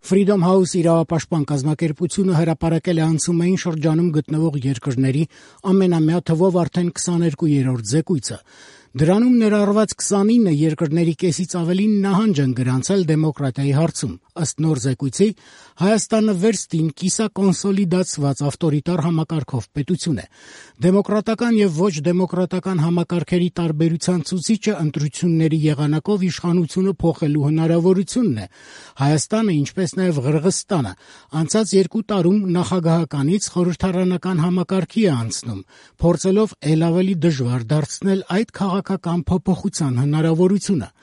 Freedom House իրավապաշտպան կազմակերպությունը հրապարակել է անցումային շրջանում գտնվող երկրների ամենամյա թվով արդեն 22-րդ զեկույցը։ Դրանում ներառված 29 երկրների կեսից ավելին նահանջ են գրանցել դեմոկրատիայի հարցում։ Ըստ նոր զեկույցի, Հայաստանը վերստին կիսակոնսոլիդացված ավտորիտար համակարգով պետություն է։ Դեմոկրատական եւ ոչ դեմոկրատական համակարգերի տարբերության ցուցիչը ընտրությունների եղանակով իշխանությունը փոխելու հնարավորությունն է։ Հայաստանը, ինչպես նաեւ Ղրղըզստանը, անցած 2 տարում նախագահականից խորհրդարանական համակարգի է անցնում, փորձելով ել ավելի դժվար դարձնել այդ քաղաքական փոփոխության հնարավորությունը։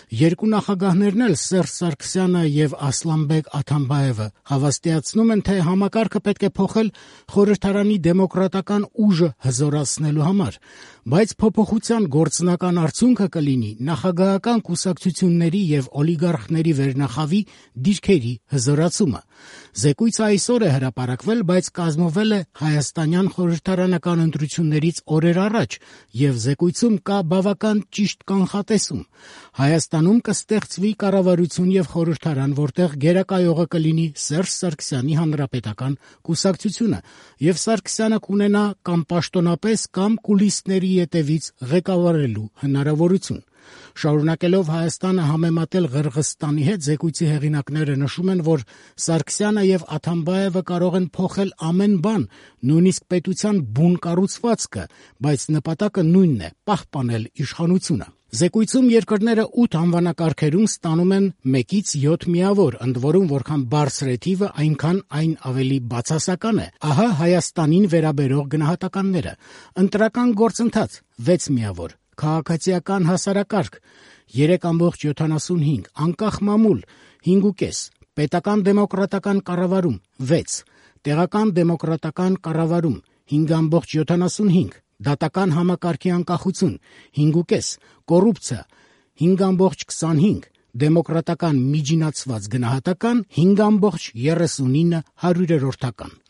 Երկու նախագահներն էլ Սերժ Սարգսյանը եւ Ասլանբեկ Աթամբաևը հավաստիացնում են, թե համակարգը պետք է փոխել խորհրդարանի դեմոկրատական ուժը հզորացնելու համար, բայց փոփոխության գործնական արդյունքը կլինի նախագահական կուսակցությունների եւ օլիգարխների վերնախավի դիրքերի հզորացումը։ Զեկույցը այսօր է հրապարակվել, բայց կազմվել է հայաստանյան խորհրդարանական ընտրություններից օրեր առաջ եւ զեկույցում կա բավական ճիշտ կանխատեսում։ Հայաստանում կստեղծվի կառավարություն եւ խորհրդարան, որտեղ գերակայողը կլինի Սերժ Սարգսյանի հանրապետական կուսակցությունը, եւ Սարգսյանը կունենա կամ պաշտոնապես կամ կուլիսների ետևից ղեկավարելու հնարավորություն։ Շարունակելով Հայաստանը համեմատել Ղրղըզստանի հետ, զեկույցի հեղինակները նշում են, որ Սարգսյանը եւ Աթամբաևը կարող են փոխել ամեն բան, նույնիսկ պետության բուն կառուցվածքը, բայց նպատակը նույնն է՝ պահպանել իշխանությունը։ Զեկույցում երկրները 8 անվանակարգերում ստանում են 1-ից 7 միավոր, ընդ որում որքան բարձր է թիվը, այնքան այն ավելի բացասական է։ Ահա Հայաստանին վերաբերող գնահատականները. ընտրական գործընթաց 6 միավոր, քաղաքացիական հասարակարգ 3.75, անկախ մամուլ 5.5, պետական դեմոկրատական կառավարում 6, տեղական դեմոկրատական կառավարում 5.75, դատական համակարգի անկախություն 5.5, կոռուպցիա 5.25, դեմոկրատական միջինացված գնահատական 5.39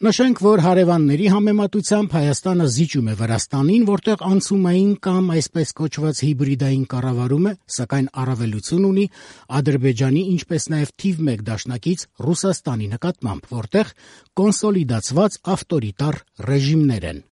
Նշենք, որ հարևանների համեմատությամբ Հայաստանը զիջում է Վրաստանին, որտեղ անցումային կամ այսպես կոչված հիբրիդային կառավարում է, սակայն առավելություն ունի Ադրբեջանի, ինչպես նաև թիվ 1 դաշնակից Ռուսաստանի նկատմամբ, որտեղ կոնսոլիդացված ավտորիտար ռեժիմներ են։